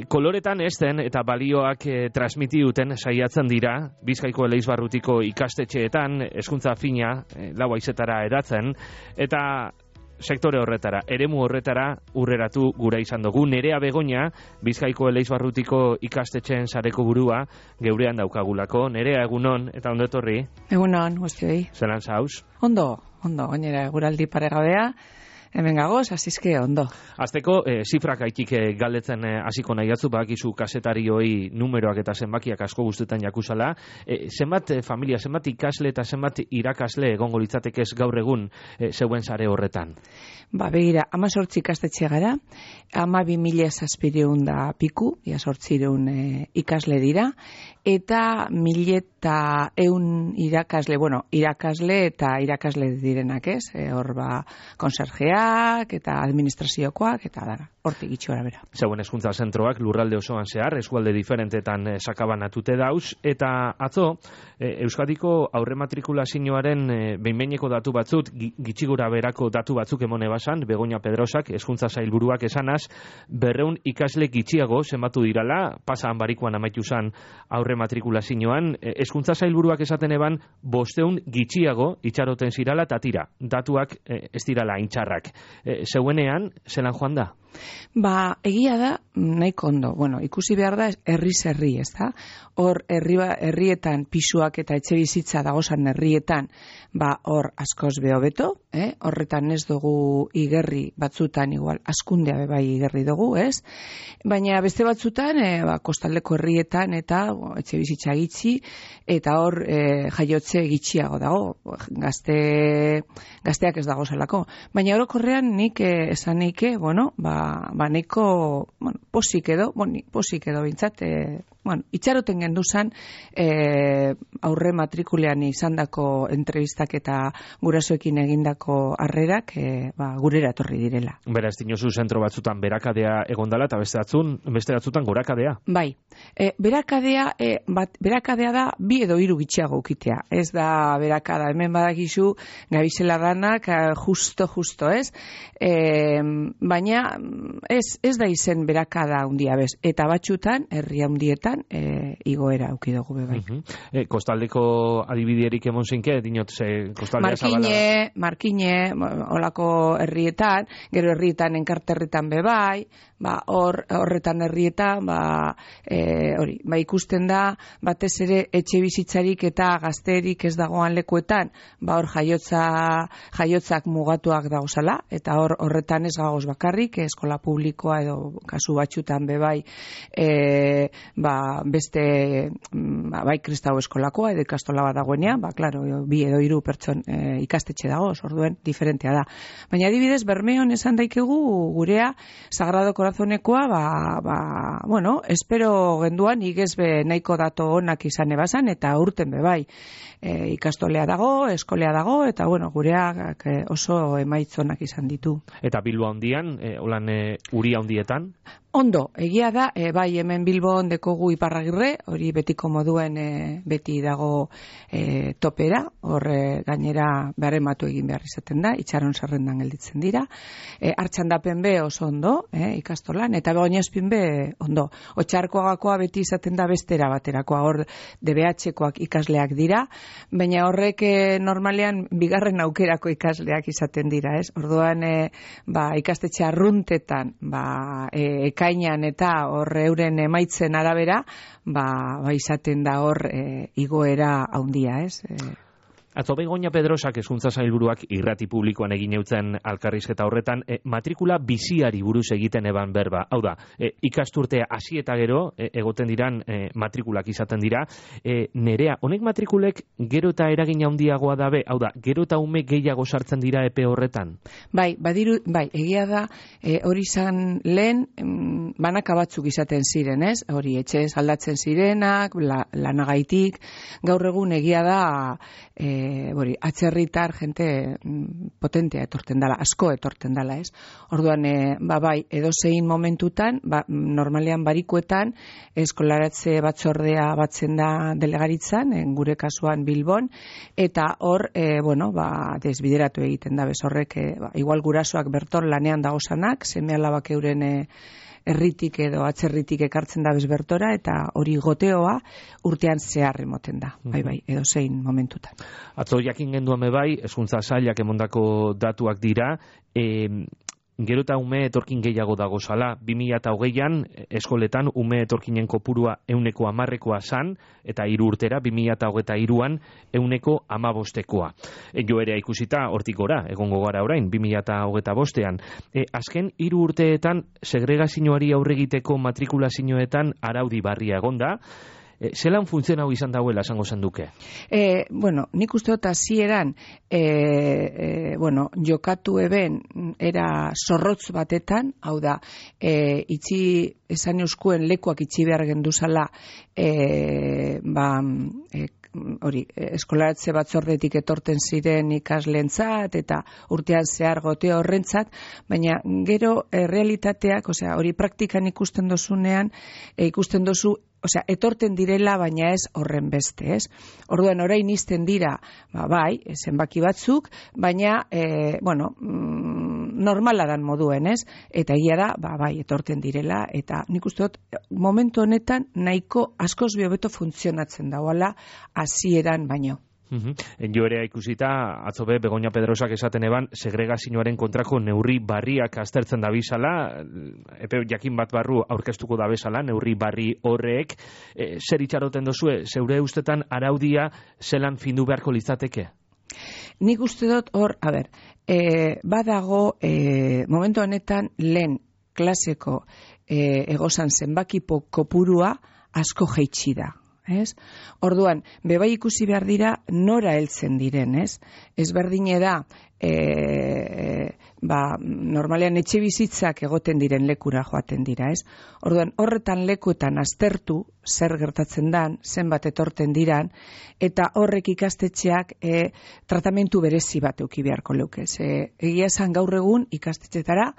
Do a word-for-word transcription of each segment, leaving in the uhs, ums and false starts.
koloretan ezten eta balioak e, transmiti duten saiatzen dira Bizkaiko Eleizbarrutiko ikastetxeetan hezkuntza fina e, lau haizetara hedatzen, eta sektore horretara, eremu horretara urreratu gura izan dugu. Nerea Begoña, Bizkaiko Eleizbarrutiko ikastetxeen sareko burua, geurean daukagulako. Nerea, egunon, eta ondo etorri? Egunon, guztioi. Zelan zauz? Ondo, ondo, gainera guraldi paregabea, hemen gagoz, azizke ondo. Azteko, eh, zifrak aitik eh, galdetzen eh, hasiko nahi atzu, bakizu kasetarioi numeroak eta zenbakiak asko guztetan jakuzala. Eh, zenbat eh, familia, zenbat ikasle eta zenbat irakasle egongo litzatekez gaur egun eh, zeuen sare horretan? Ba, begira, ama sortzi ikastetxe gara, ama bi mila zazpireun da piku, ia sortzireun e, ikasle dira, eta mila eta eun irakasle, bueno, irakasle eta irakasle direnak ez, e, hor ba, konserjeak eta administraziokoak, eta dara, hortik itxora bera. Zeuen hezkuntza zentroak lurralde osoan zehar, eskualde diferentetan e, sakabanatute dauz, eta atzo, e, Euskadiko aurrematrikulazioaren e, behinbeineko datu batzut, gitxigura berako datu batzuk emone basan, Begoña Pedrosak, hezkuntza sailburuak esanaz, berreun ikasle gitxiago zenbatu dirala, pasaan barikuan amaitu zan aurrematrikulazioan, hezkuntza sailburuak esaten eban, bosteun gitxiago itxaroten zirala, eta tira, datuak e, ez dirala intxarrak. E, zeuenean, zelan joan da? Ba, egia da, nahiko ondo. Bueno, ikusi behar da, herriz herri, ez da? Hor, herri, herrietan pisuak eta etxe bizitza dagozan herrietan, ba, hor askoz beho beto, eh? Horretan ez dugu igerri batzutan, igual, askundea bebai igerri dugu, ez? Baina beste batzutan, e, ba, kostaldeko herrietan eta bo, etxe bizitza gitxi, eta hor e, jaiotze gitxiago dago, gazte, gazteak ez dago zelako. Baina orokorrean nik e, esan neike, bueno, ba, ba neko, bueno, posik edo, bueno, posik edo bintzat, e, bueno, itxaroten genduzan e, aurre matrikulean izandako entrevistak eta gurasoekin egindako harrerak e, ba, gurera etorri direla. Beraz, dinozu zentro batzutan berakadea egondala eta beste batzun, beste batzutan gorakadea? Bai, e, berakadea, e, bat, berakadea da bi edo hiru gitxiago ukitea. Ez da berakada, hemen badakizu gabizela danak justo, justo, ez? E, baina ez, ez da izen berakada handia bez. Eta batxutan, herri handietan, E, igoera auki dugu bebai. Uh -huh. e, kostaldeko adibidierik emon zinke, dinot, ze kostaldea zabala? Markine, Markine, olako herrietan, gero herrietan enkarterritan bebai, ba, hor, horretan herrietan, ba, e, hori, ba, ikusten da, batez ere etxe bizitzarik eta gazterik ez dagoan lekuetan, ba, hor jaiotza, jaiotzak mugatuak dagozala, eta hor, horretan ez gagoz bakarrik, eskola publikoa edo kasu batxutan bebai, e, ba, beste ba, bai kristau eskolakoa edo ikastola bat dagoenean, ba, klaro, bi edo hiru pertson e, ikastetxe dago, orduen diferentea da. Baina adibidez, Bermeon esan daikegu gurea Sagrado Corazonekoa, ba, ba, bueno, espero genduan igezbe nahiko dato onak izan ebazan, eta urten bebai e, ikastolea dago, eskolea dago, eta bueno, gureak e, oso emaitzonak izan ditu. Eta Bilbo handian, e, holan e, uri handietan? Ondo, egia da, e, bai hemen Bilbon dekogu Iparragirre, hori betiko moduen e, beti dago e, topera, hor e, gainera beharematu egin behar izaten da, itxaron zerrendan gelditzen dira, e, Artxandapen be oso ondo, e, ikastolan, eta Begoñaspin be ondo. Otxarkoagakoa beti izaten da bestera baterakoa, hor D B H-koak ikasleak dira, baina horrek e, normalean bigarren aukerako ikasleak izaten dira, ez? Orduan, e, ba, ikastetxe arruntetan, ba, e, ekainan eta hor euren emaitzen arabera, ba, ba izaten da hor e, igoera handia, ez? E, Atzo Begoña Pedrosak hezkuntza sailburuak irrati publikoan egin eutzen alkarrizketa horretan, e, matrikula biziari buruz egiten eban berba. Hau da, e, ikasturtea hasi eta gero, e, egoten diran e, matrikulak izaten dira. E, nerea, honek matrikulek gero eta eragin handiagoa dabe, hau da, gero eta ume gehiago sartzen dira epe horretan? Bai, badiru, bai, egia da, e, hori izan lehen, mm, banaka batzuk izaten ziren, ez? Hori, etxez aldatzen zirenak, la, lanagaitik, gaur egun egia da, e, E, bori, atzerritar jente potentea etorten dala, asko etorten dala, ez? Orduan, e, ba, bai, edozein momentutan, ba, normalean barikuetan, eskolaratze batzordea batzen da delegaritzan, en gure kasuan Bilbon, eta hor, e, bueno, ba, desbideratu egiten da, bez horrek, e, ba, igual gurasoak berton lanean dagozanak, seme alabak euren e, herritik edo atzerritik ekartzen da bezbertora, eta hori goteoa urtean zehar emoten da, bai bai, edo zein momentutan. Atzo jakin genduame bai, hezkuntza sailak emondako datuak dira, e, gero eta ume etorkin gehiago dagozala, bi mila hogeian eskoletan ume etorkinen kopurua euneko hamarrekoa zan, eta hiru urtera, bi mila hogeita hiruan euneko hamabostekoa. E, jo ere ikusita hortik gora, egongo gara orain, bi mila hogeita bostean. E, azken hiru urteetan segregazioari aurregiteko matrikulazioetan araudi barria egonda, E, zelan funtzionau izan dauela, esango zen duke? E, bueno, nik uste dut hasieran e, e, bueno, jokatu eben era zorrotz batetan, hau da, e, itxi, esan euskuen lekuak itxi behar genduzala, e, ba, e, hori, eskolaratze batzordetik etorten ziren ikaslentzat eta urtean zehar gote horrentzat, baina gero e, realitateak, osea, hori praktikan ikusten dozunean, e, ikusten dozu Osea, etorten direla, baina ez horren beste, ez? Orduan, orain izten dira, ba, bai, zenbaki batzuk, baina, e, bueno, mm, normala dan moduen, ez? Eta egia da, ba, bai, etorten direla, eta nik uste dut, momentu honetan, nahiko askoz hobeto funtzionatzen dagoela hasieran baino. Uhum. Jo ere ikusita, atzo be, Begoña Pedrosak esaten eban, segregazioaren kontrako neurri barriak aztertzen dabizala, epe jakin bat barru aurkeztuko dabezala, neurri barri horrek, e, zer itxaroten dozue, zeure ustetan araudia zelan findu beharko litzateke? Nik uste dut hor, a ber, e, badago, e, momentu honetan lehen klaseko e, egozan zenbakipo kopurua asko jeitsi da. Ez? Orduan, bebai ikusi behar dira nora heltzen diren, ez? Ez berdine da, e, ba, normalean etxe bizitzak egoten diren lekura joaten dira, ez? Orduan, horretan lekuetan aztertu, zer gertatzen dan, zenbat etorten diran, eta horrek ikastetxeak e, tratamentu berezi bat euki beharko leukez. E, egia esan gaur egun ikastetxetara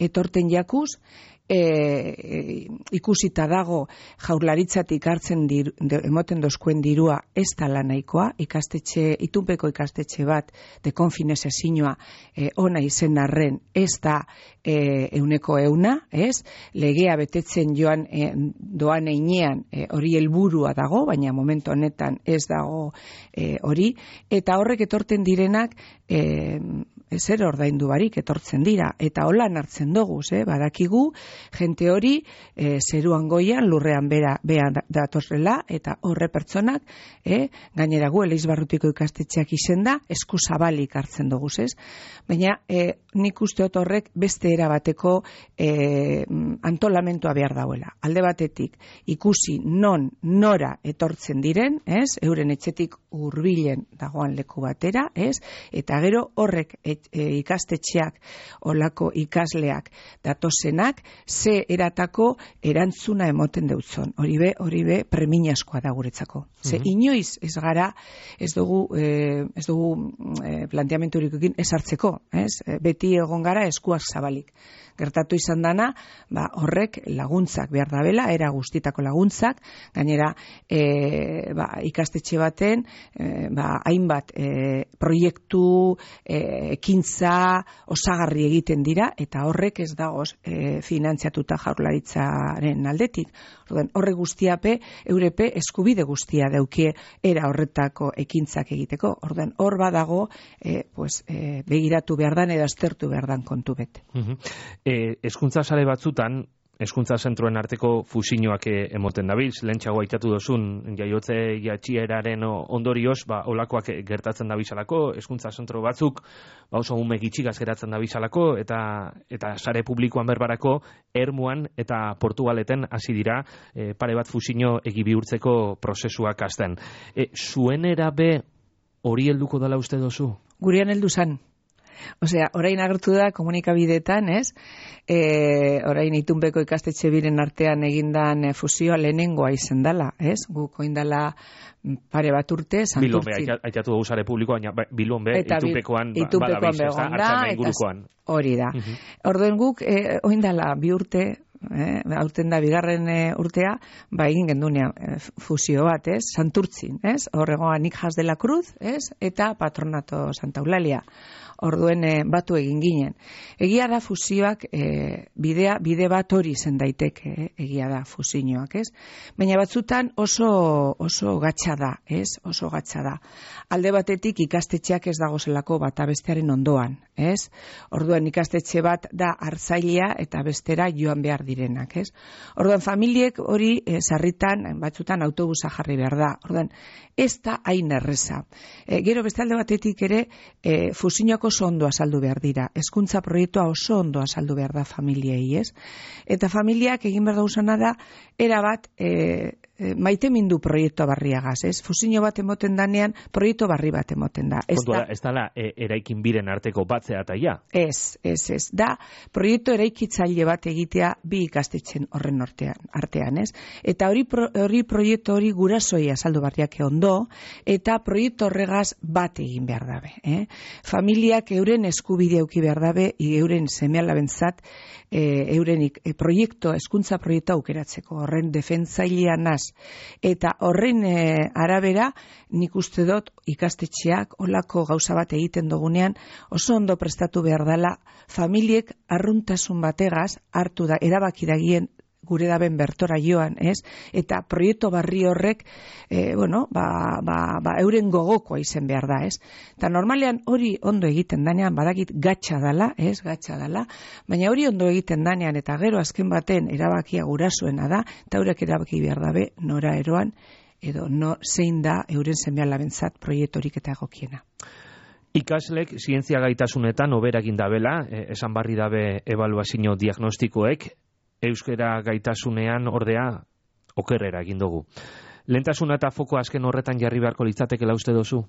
etorten jakuz, E, e, ikusita dago jaurlaritzatik hartzen dir, de, emoten dozkuen dirua ez tala nahikoa, ikastetxe, itunpeko ikastetxe bat de konfinese zinua e, ona izen arren ez da e, euneko euna, ez? Legea betetzen joan e, doan einean e, hori helburua dago, baina momentu honetan ez dago e, hori, eta horrek etorten direnak e, zer ordaindu barik etortzen dira, eta holan hartzen dugu, eh? Badakigu, jente hori e, zeruan goian, lurrean bera, bea datorrela, eta horre pertsonak, eh? Gainera gu, Eleizbarrutiko ikastetxeak izenda, esku zabalik hartzen dugu, ez? Baina e, nik usteot horrek beste erabateko e, antolamentua behar dauela. Alde batetik, ikusi non, nora etortzen diren, ez? Euren etxetik hurbilen dagoan leku batera, ez? Eta gero horrek et, e, ikastetxeak, olako ikasleak datozenak, ze eratako erantzuna emoten deutzon. Hori be, hori be, preminaskoa da guretzako. Ze mm-hmm. inoiz ez gara, ez dugu, e, ez dugu e, planteamenturik egin ez hartzeko, ez? Beti egon gara eskuak zabalik. Gertatu izan dana, ba, horrek laguntzak behar dabela, era guztitako laguntzak, gainera e, ba, ikastetxe baten, e, ba, hainbat e, proiektu, e, ekintza, osagarri egiten dira, eta horrek ez dagoz e, finantziatuta jaurlaritzaren aldetik. Horre guztiape, eurepe eskubide guztia daukie era horretako ekintzak egiteko. Orduan, hor badago, e, pues, e, begiratu behar dan edo aztertu behar dan kontu bete. Uh-huh. E, eskuntza sare batzutan, eskuntza zentroen arteko fusioak emoten dabilz, lehentxago aitatu dozun jaiotze jatxieraren ondorioz, ba, olakoak gertatzen dabilzalako, eskuntza zentro batzuk, ba, oso ume gitxigaz geratzen dabilzalako, eta, eta sare publikoan berbarako, Ermuan eta Portugaleten hasi dira e, pare bat fusio egi bihurtzeko prozesuak hasten. E, zuen erabe hori helduko dela uste dozu? Gurean heldu zan. Osea, orain agertu da komunikabideetan, ez? E, orain itunpeko ikastetxe biren artean egindan fusioa lehenengoa izen dela, ez? Guk oindala pare bat urte, santurtzi. Bilbon be, aitatu dugu sare publikoa, Bilbon be, itunpekoan, itunpekoan begon da, eta hori da. Uh-huh. Orduen guk, e, oindala bi urte, eh, aurten da bigarren e, urtea, ba egin gendunean e, fusio bat, ez? Santurtzin, ez? Horregoa Nijas de la Cruz, ez? Eta Patronato Santa Eulalia. Orduen e, batu egin ginen. Egia da fusioak e, bidea, bide bat hori zen daiteke, e, egia da fusioak, ez? Baina batzutan oso oso gatsa da, ez? Oso gatsa da. Alde batetik ikastetxeak ez dagozelako bata bestearen ondoan, ez? Orduan ikastetxe bat da hartzailea eta bestera joan behar direnak, ez? Orduan familiek hori e, sarritan batzutan autobusa jarri behar da. Orduan ez da hain erreza. E, gero beste alde batetik ere e, fusioak oso ondo azaldu behar dira. Hezkuntza proiektua oso ondo azaldu behar da familiei, ez? Eta familiak egin behar dauzana da, erabat e, e, maite mindu proiektu barriagaz, ez? Fusio bat emoten danean, proiektu barri bat emoten da. Ez da, ez dala e, eraikin biren arteko batzea eta ja? Ez, ez, ez. Da, proiektu eraikitzaile bat egitea bi ikastetxen horren artean, artean, ez? Eta hori, pro, hori proiektu hori gurasoi azaldu barriak ondo, eta proiektu horregaz bat egin behar dabe, eh? Familiak euren eskubide auki behar dabe, euren seme-alabentzat e, euren e, proiektu, hezkuntza proiektu aukeratzeko, horren defentzailean naz. Eta horren e, arabera, nik uste dut ikastetxeak olako gauza bat egiten dugunean, oso ondo prestatu behar dela, familiek arruntasun bategaz hartu da, erabaki dagien gure daben bertora joan, ez? Eta proiektu barri horrek, e, bueno, ba, ba, ba, euren gogokoa izen behar da, ez? Eta normalean hori ondo egiten danean, badakit gatsa dala, ez? Gatsa dala, baina hori ondo egiten danean, eta gero azken baten erabakia gurasoena da, eta eurek erabaki behar dabe nora eroan, edo no zein da euren seme-alabentzat proiektorik eta egokiena. Ikaslek zientzia gaitasunetan oberagin dabela, esan barri dabe ebaluazio diagnostikoek, euskera gaitasunean ordea okerrera egin dugu. Lehentasuna eta foko azken horretan jarri beharko litzatekela uste dozu?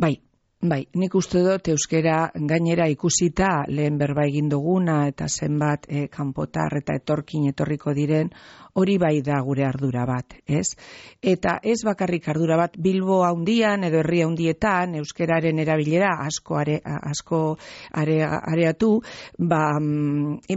Bai, bai, nik uste dut euskera gainera ikusita lehen berba egin duguna eta zenbat e, kanpotar eta etorkin etorriko diren, hori bai da gure ardura bat, ez? Eta ez bakarrik ardura bat Bilbo haundian edo herri haundietan euskeraren erabilera asko are, asko are, areatu, ba,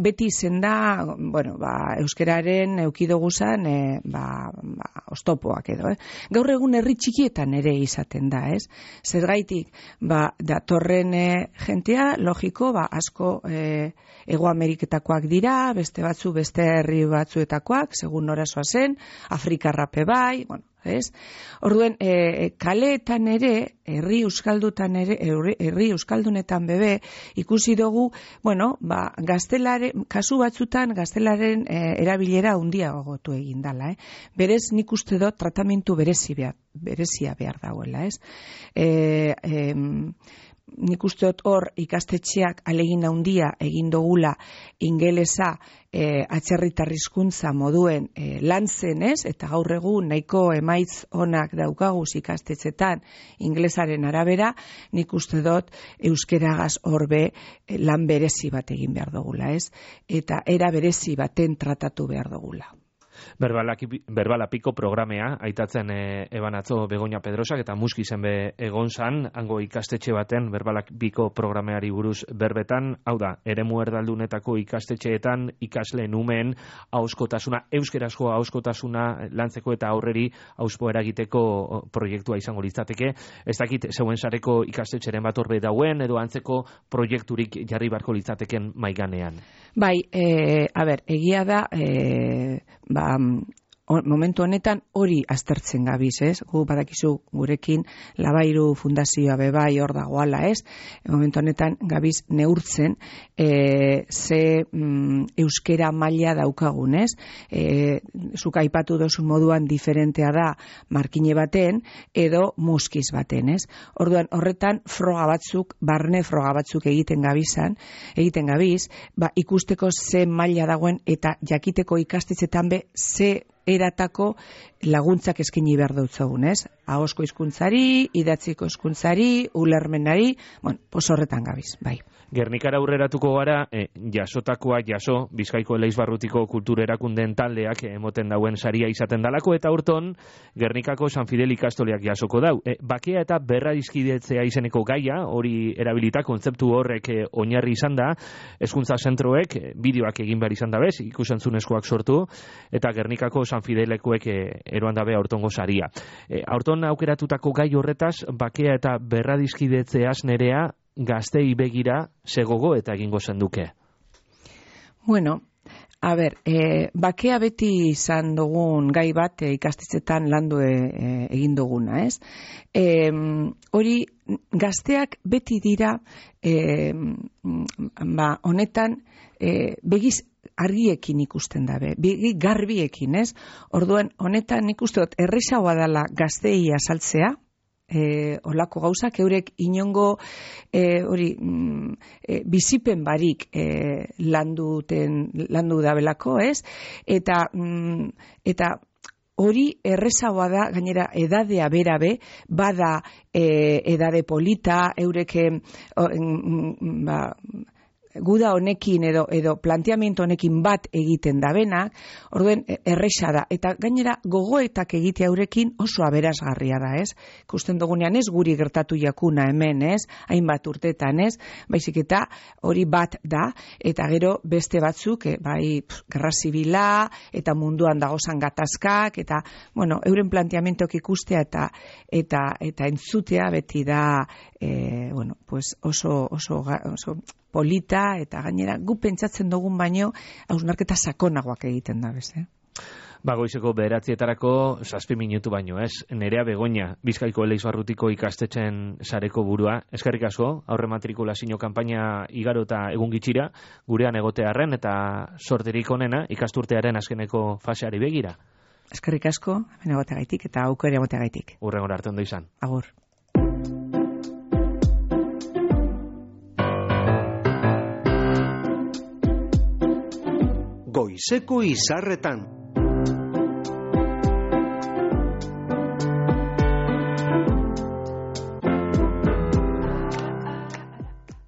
beti izen da, bueno, ba, euskeraren eukidoguzan e, ba, ba, ostopoak edo, eh? Gaur egun herri txikietan ere izaten da, ez? Zergaitik, ba, datorren e, jentea, logiko, ba, asko e, Ego Ameriketakoak dira, beste batzu, beste herri batzuetakoak, segun norazoa zen, Afrikarrape bai, bueno, ez? Orduen, e, kaleetan ere, herri euskaldutan ere, herri euskaldunetan bebe, ikusi dugu, bueno, ba, gaztelare, kasu batzutan gaztelaren e, erabilera handia gogotu egin dala, eh? Berez, nik uste dut tratamentu berezi behar, berezia behar dagoela, ez? E, e, nik uste dut hor ikastetxeak alegin handia egin dugula ingelesa e, atzerritar hizkuntza moduen e, lan zenez, eta gaur egun nahiko emaitz onak daukaguz ikastetxetan ingelesaren arabera, nik uste dut euskeragaz horbe e, lan berezi bat egin behar dugula, ez? Eta era berezi baten tratatu behar dugula. Berbalapiko programea, aitatzen e, eban atzo Begoña Pedrosak eta Muski zen be egon zan, hango ikastetxe baten Berbalapiko programeari buruz berbetan, hau da, eremu erdaldunetako ikastetxeetan ikasleen umeen ahoskotasuna, euskerazko ahoskotasuna lantzeko eta aurreri auspo eragiteko proiektua izango litzateke. Ez dakit zeuen sareko ikastetxeren bat horbe dauen, edo antzeko proiekturik jarri barko litzateken maiganean. Bai, e, a ber, egia da, e, ba, momentu honetan hori aztertzen gabiz, ez? Gu badakizu gurekin Labairu Fundazioa bebai hor dagoala, ez? Momentu honetan gabiz neurtzen e, ze mm, euskera maila daukagun, ez? E, zuk aipatu dozun moduan diferentea da markine baten edo muskiz baten, ez? Orduan horretan froga batzuk, barne froga batzuk egiten gabizan, egiten gabiz, ba, ikusteko ze maila dagoen eta jakiteko ikastetxetan be ze eratako laguntzak eskaini behar dutzagun, ez? Ahosko hizkuntzari, idatziko hizkuntzari, ulermenari, bueno, pos horretan gabiz, bai. Gernikara aurreratuko gara, e, jasotakoa jaso, Bizkaiko Eleizbarrutiko kultur erakundeen taldeak emoten dauen saria izaten dalako, eta urton Gernikako San Fidel ikastoleak jasoko dau. E, bakea eta berradizkidetzea izeneko gaia, hori erabilita kontzeptu horrek e, oinarri izan da, hezkuntza zentroek e, bideoak egin behar izan dabez, ikusentzunezkoak sortu, eta Gernikako San Fidelekuek e, eroan dabe aurtongo saria. E, aurton aukeratutako gai horretaz, bakea eta berradizkidetzeaz nerea, gaztei begira segogo eta egingo zenduke? Bueno, a ber, e, bakea beti izan dugun gai bat e, ikastetxetan landu e, egin duguna, ez? E, hori, gazteak beti dira e, ba, honetan e, begiz argiekin ikusten dabe, begi garbiekin, ez? Orduan, honetan nik uste dut erresagoa dela gaztei azaltzea, E, olako gauzak, eurek inongo e, hori mm, e, bizipen barik e, landuten, landu dabelako, ez? Eta mm, eta hori errezagoa da, gainera edadea berabe, bada e, edade polita, eurek e, ba, guda honekin edo edo planteamiento honekin bat egiten dabenak, orduen erresa da. Eta gainera gogoetak egitea eurekin oso aberasgarria da, ez? Ikusten dugunean ez guri gertatu jakuna hemen, ez? Hainbat urtetan, ez? Baizik eta hori bat da, eta gero beste batzuk, eh, bai, pff, gerra zibila, eta munduan dagozan gatazkak, eta, bueno, euren planteamentoak ikustea eta eta eta entzutea beti da, eh, bueno, pues oso, oso, oso polita, eta gainera gu pentsatzen dugun baino hausnarketa sakonagoak egiten da, bez, eh? Ba, goizeko bederatzietarako zazpi minutu baino, ez? Nerea Begoña, Bizkaiko Eleizbarrutiko ikastetxen sareko burua. Eskerrik asko, aurre matrikulazio kanpaina igaro eta egun gitxira, gurean egotearren eta sorterik onena ikasturtearen azkeneko faseari begira. Eskerrik asko, hemen egoteagaitik eta aukera egoteagaitik. Hurrengora arte ondo izan. Agur. Goizeko izarretan.